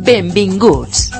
Benvinguts.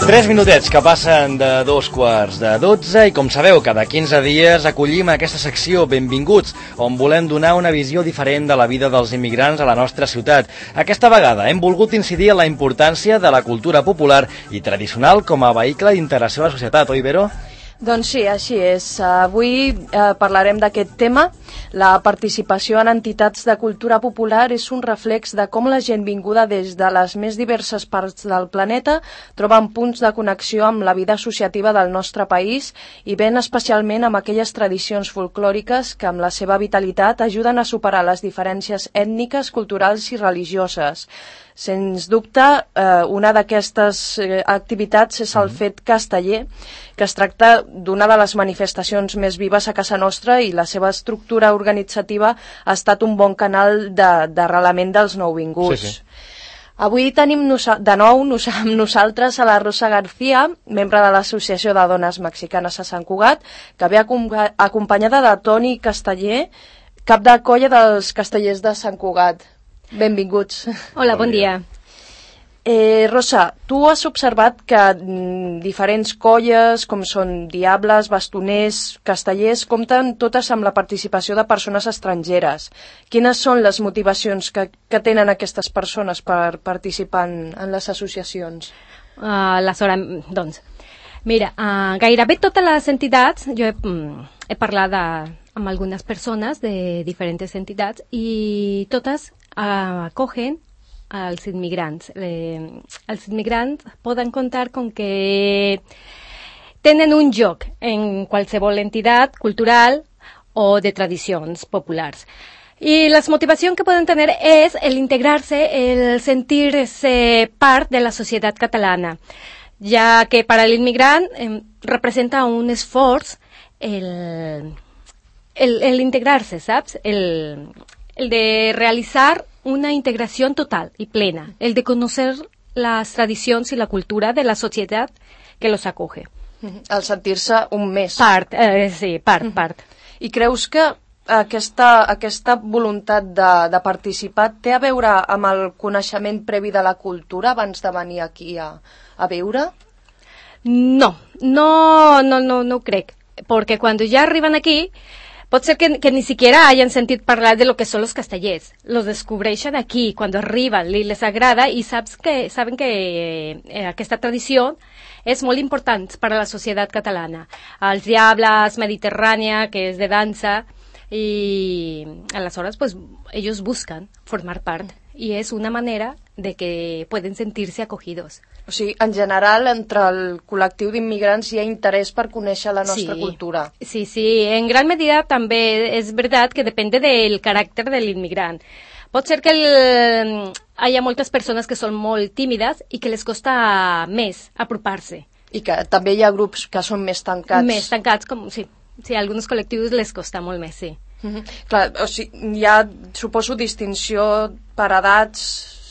Tres minutets que passen de 2:45 i com sabeu, cada 15 dies acollim aquesta secció Benvinguts, on volem donar una visió diferent de la vida dels immigrants a la nostra ciutat. Aquesta vegada hem volgut incidir en la importància de la cultura popular i tradicional com a vehicle d'integració a la societat, oi, Vero? Doncs sí, així és. Avui parlarem d'aquest tema. La participació en entitats de cultura popular és un reflex de com la gent vinguda des de les més diverses parts del planeta troben punts de connexió amb la vida associativa del nostre país i ben especialment amb aquelles tradicions folclòriques que amb la seva vitalitat ajuden a superar les diferències ètniques, culturals i religioses. Sens dubte, una d'aquestes activitats és el Fet Casteller, que es tracta d'una de les manifestacions més vives a casa nostra i la seva estructura organitzativa ha estat un bon canal d'arrelament dels nouvinguts. Sí. Avui tenim de nou amb nosaltres a la Rosa García, membre de l'Associació de Dones Mexicanes a Sant Cugat, que ve acompanyada de Toni Casteller, cap de colla dels Castellers de Sant Cugat. Benvinguts. Hola, bon dia. Rosa, tu has observat que diferents colles, com són diables, bastoners, castellers, compten totes amb la participació de persones estrangeres. Quines són les motivacions que tenen aquestes persones per participar en les associacions? Doncs, mira, gairebé totes les entitats, jo he parlat amb algunes persones de diferents entitats i totes acogen als immigrants. Els immigrants poden comptar con que tenen un lloc en qualsevol entitat cultural o de tradicions populars. Y las motivacions que poden tener es el integrarse, el sentirse part de la societat catalana, ya que para el inmigrant representa un esforç el integrarse, ¿sabes? El de realizar una integración total y plena, el de conocer las tradicions i la cultura de la societat que los acoge. El sentir-se un més. Part. I creus que aquesta voluntat de participar té a veure amb el coneixement previ de la cultura abans de venir aquí a viure? No ho crec, porque cuando ya arriban aquí pot ser que ni siquiera hayan sentit parlar de lo que son los castellers. Los descobreixen aquí, cuando arriben, les agrada i saben que aquesta tradició és molt important per a la societat catalana. Els diables, Mediterrània, que és de dansa, y aleshores pues ellos buscan formar part y es una manera de que pueden sentirse acogidos. O sigui, en general, entre el col·lectiu d'immigrants hi ha interès per conèixer la nostra cultura. Sí, en gran medida també és veritat que depèn del caràcter de l'immigrant. Pot ser que hi ha moltes persones que són molt tímides i que les costa més apropar-se. I que també hi ha grups que són més tancats. Més tancats, sí, a alguns col·lectius les costa molt més, sí. Clar, o sigui, hi ha, suposo, distinció per edats,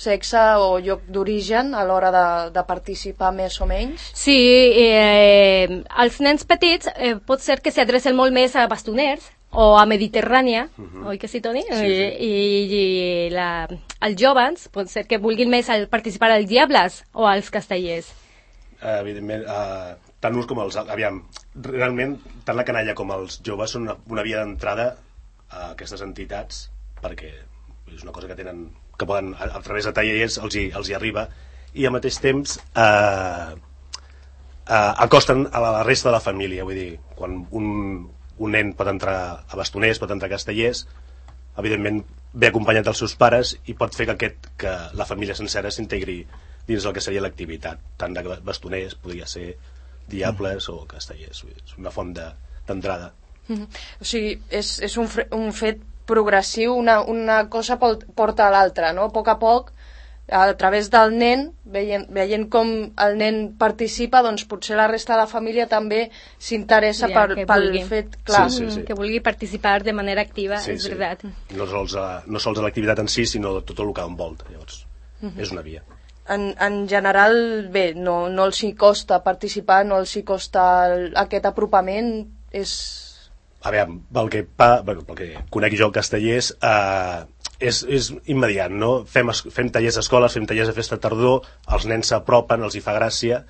sexe o lloc d'origen a l'hora de participar més o menys? Sí, els nens petits pot ser que s'adrecen molt més a bastoners o a Mediterrània, oi que sí, Toni? Sí. I els joves pot ser que vulguin més participar als diables o als castellers. Evidentment, tant uns com els... Aviam, realment, tant la canalla com els joves són una via d'entrada a aquestes entitats, perquè és una cosa que tenen, que poden, a través de tallers els hi arriba, i al mateix temps acosten a la resta de la família. Vull dir, quan un nen pot entrar a bastoners, pot entrar a castellers, evidentment ve acompanyat dels seus pares i pot fer que la família sencera s'integri dins el que seria l'activitat, tant de bastoners, podria ser diables o castellers. És una font d'entrada. O sigui, és un fet progressiu, una cosa porta a l'altra, no? A poc, a través del nen, veient com el nen participa, doncs potser la resta de la família també s'interessa pel fet, clar. Sí. Que vulgui participar de manera activa, és veritat. No sols a l'activitat en si, sinó tot el que envolta, llavors és una via. en general, bé, no els hi costa participar, no els hi costa aquest apropament, és... A veure, pel que conec jo castellers, és immediat, no? Fem tallers a escoles, fem tallers a festa tardor, els nens s'apropen, els hi fa gràcia.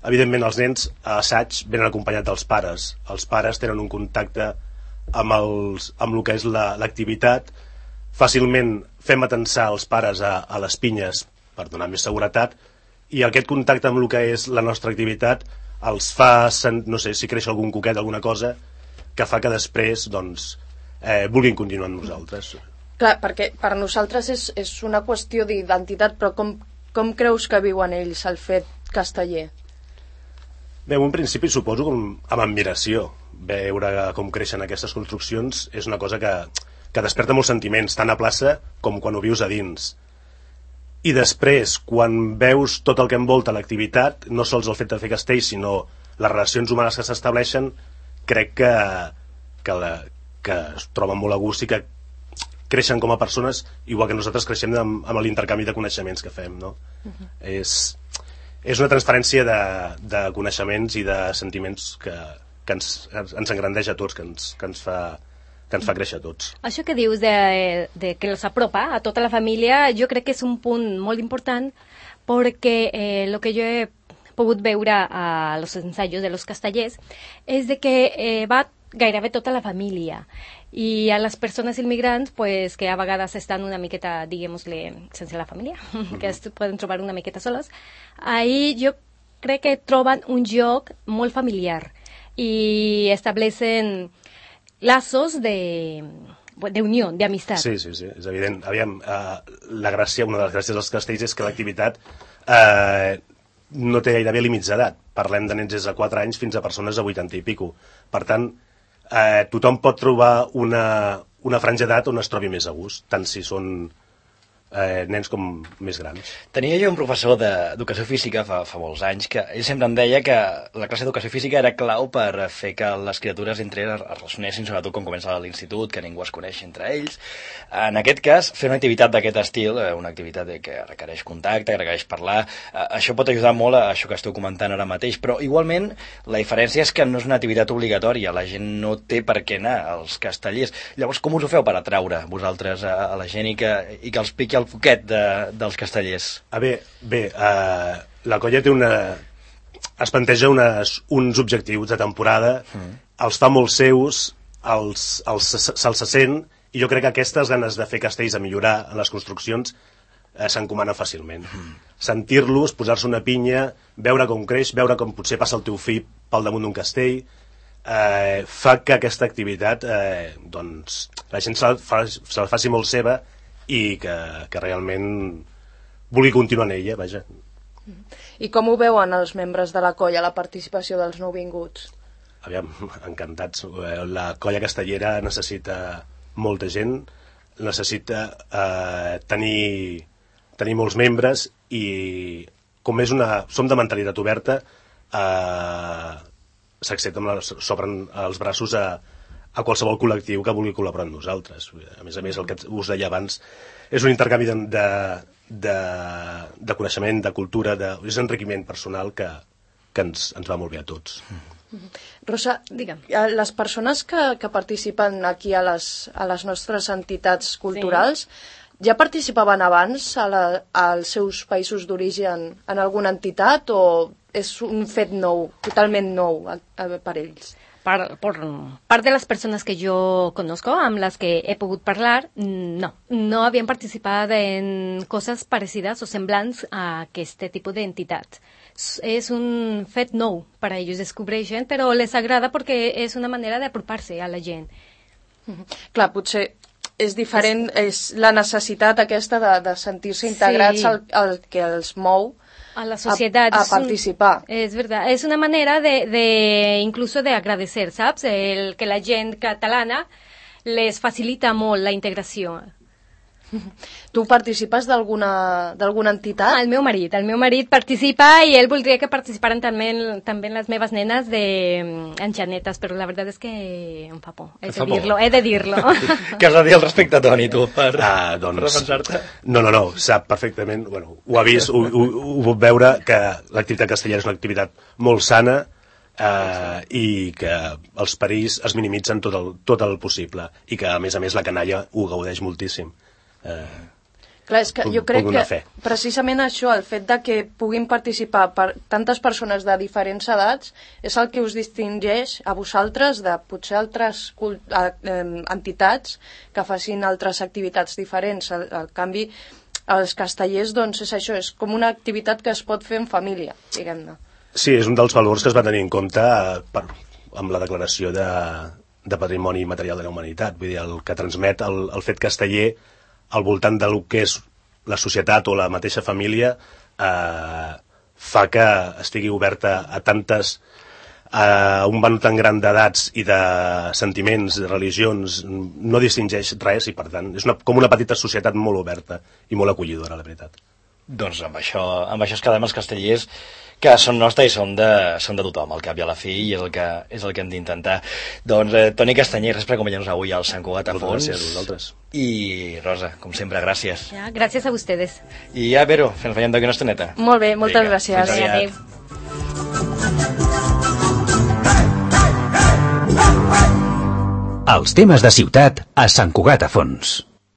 Evidentment, els nens a assaig venen acompanyats dels pares. Els pares tenen un contacte amb el que és l'activitat. Fàcilment fem atensar els pares a les pinyes per donar més seguretat, i aquest contacte amb el que és la nostra activitat els fa, no sé, si creix algun coquet, alguna cosa, que fa que després vulguin continuar amb nosaltres. Clar, perquè per nosaltres és una qüestió d'identitat, però com creus que viuen ells el fet casteller? Bé, en un principi suposo amb admiració. Veure com creixen aquestes construccions és una cosa que desperta molts sentiments, tant a plaça com quan ho vius a dins. I després, quan veus tot el que envolta l'activitat, no sols el fet de fer castells, sinó les relacions humanes que s'estableixen, crec que es troben molt a gust i que creixen com a persones, igual que nosaltres creixem amb l'intercanvi de coneixements que fem, no? És una transferència de coneixements i de sentiments que ens engrandeix a tots, que ens fa créixer a tots. Això que dius de que els apropa a tota la família, jo crec que és un punt molt important, perquè el que jo he pogut veure a los ensayos de los castellers és de que va gairebé tota la família, i a les persones immigrants pues, que a vegades estan una miqueta, diguem-ne, sense la família, que es poden trobar una miqueta soles, ahí jo crec que troben un lloc molt familiar i establecen lazos de unió, d'amistat. Sí, és evident. Aviam, una de les gràcies dels castells és que l'activitat no té gairebé límits d'edat. Parlem de nens des de 4 anys fins a persones de 80 i pico. Per tant, tothom pot trobar una franja d'edat on es trobi més a gust, tant si són nens com més grans. Tenia jo un professor d'educació física fa molts anys que ell sempre em deia que la classe d'educació física era clau per fer que les criatures entre elles es relacionessin, sobretot quan comença l'institut, que ningú es coneix entre ells. En aquest cas, fer una activitat d'aquest estil, una activitat que requereix contacte, que requereix parlar, això pot ajudar molt a això que esteu comentant ara mateix, però igualment la diferència és que no és una activitat obligatòria, la gent no té per què anar als castellers. Llavors, com us ho feu per atraure vosaltres a la gent i que els piqui el foquet dels castellers? La colla té es planteja uns objectius de temporada, els fa molt seus, se'ls sent, i jo crec que aquestes ganes de fer castells, a millorar en les construccions, s'encomana fàcilment. Sentir-los, posar-se una pinya, veure com creix, veure com potser passa el teu fill pel damunt d'un castell, fa que aquesta activitat la gent se la faci molt seva i que realment vulgui continuar en ella, vaja. I com ho veuen els membres de la colla, la participació dels nouvinguts? Aviam, encantats. La colla castellera necessita molta gent, necessita tenir molts membres, i com som de mentalitat oberta, s'obren els braços a qualsevol col·lectiu que vulgui col·laborar amb nosaltres. A més, el que us deia abans, és un intercanvi de coneixement, de cultura, és enriquiment personal que ens va molt bé a tots. Rosa, digue'm, les persones que participen aquí a les nostres entitats culturals, ja participaven abans als seus països d'origen en alguna entitat, o és un fet nou, totalment nou per ells? Por parte de las personas que yo conozco, amb las que he pogut parlar, no habían participado en cosas parecidas o semblants a aquest tipus d'entitat. És un fet nou per a ells, descobreixen, però les agrada perquè és una manera d'apropar-se a la gent. Clar, potser és diferent, és la necessitat aquesta de sentir-se integrats al que els mou a la sociedad, a participar. Es verdad, es una manera incluso de agradecer, ¿sabes? Que la gent catalana les facilita molt la integració. Tu participes d'alguna entitat? El meu marit participa i ell voldria que participaran també les meves nenes en Janetes, però la veritat és que em fa por, he de dir-lo. Què has de dir al respecte, Toni, tu, per defensar-te? No, sap perfectament, bueno, ho ha vist, ho pot veure, que l'activitat castellera és una activitat molt sana, i que els perills es minimitzen tot el possible i que a més la canalla ho gaudeix moltíssim. Clar, és que jo crec que precisament això, el fet de que puguin participar tantes persones de diferents edats és el que us distingeix a vosaltres de potser altres entitats que facin altres activitats diferents. Al canvi, els castellers, doncs és això, és com una activitat que es pot fer en família, diguem-ne. Sí, és un dels valors que es va tenir en compte amb la declaració de Patrimoni Material de la Humanitat. Vull dir, el que transmet el fet casteller al voltant del que és la societat o la mateixa família fa que estigui oberta a un ventall tan gran d'edats i de sentiments, de religions, no distingeix res i per tant és com una petita societat molt oberta i molt acollidora, la veritat. Doncs amb això es quedem els castellers, que són nostres i són de tothom, al cap i a la fi, i és el que hem d'intentar. Doncs Toni Castanyer, gràcies per acompanyar-nos avui al Sant Cugat a Fons. Gràcies a vosaltres. I Rosa, com sempre, gràcies. Ja, gràcies a vosaltres. I ja, Vero, ens veiem d'aquí una estoneta. Molt bé, moltes gràcies. Adéu. Els temes de ciutat a Sant Cugat a Fons.